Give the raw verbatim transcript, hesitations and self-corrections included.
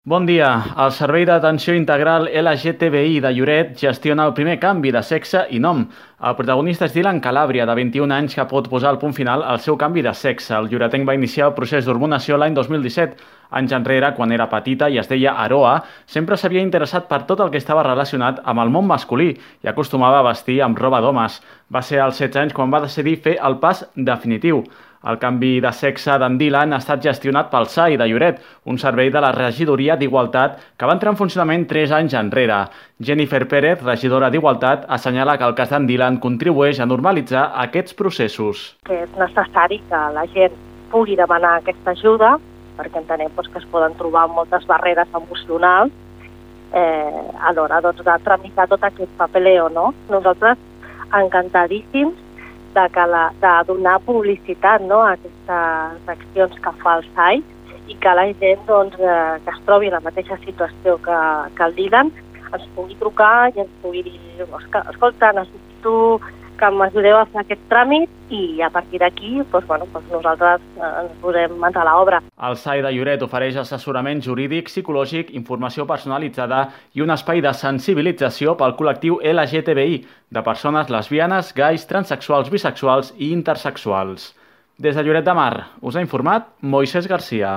Bon dia. El Servei d'Atenció Integral L G T B I de Lloret gestiona el primer canvi de sexe i nom. El protagonista és Dylan Calàbria, de vint-i-un anys, que pot posar el punt final al seu canvi de sexe. El lloretenc va iniciar el procés d'hormonació l'any dos mil disset. Anys enrere, quan era petita i es deia Aroa, sempre s'havia interessat per tot el que estava relacionat amb el món masculí i acostumava a vestir amb roba d'homes. Va ser als setze anys quan va decidir fer el pas definitiu. El canvi de sexe d'en Dylan ha estat gestionat pel S A I de Lloret, un servei de la Regidoria d'Igualtat que va entrar en funcionament tres anys enrere. Jennifer Pérez, regidora d'Igualtat, assenyala que el cas d'en Dylan contribueix a normalitzar aquests processos. Que és necessari que la gent pugui demanar aquesta ajuda, perquè entenem doncs, que es poden trobar moltes barreres emocionals eh, a l'hora doncs, de tramitar tot aquest papeleo. No? Nosaltres encantadíssims de, que la, de donar publicitat, no?, a aquestes accions que fa el S A I i que la gent doncs, eh, que es trobi en la mateixa situació que, que el Dylan ens pugui trucar i ens pugui dir escolta, necessito que m'ajudeu a fer aquest tràmit i a partir d'aquí doncs, bueno, doncs nosaltres ens posem mans a l'obra. El S A I de Lloret ofereix assessorament jurídic, psicològic, informació personalitzada i un espai de sensibilització pel col·lectiu L G T B I, de persones lesbianes, gais, transexuals, bisexuals i intersexuals. Des de Lloret de Mar us ha informat Moisés Garcia.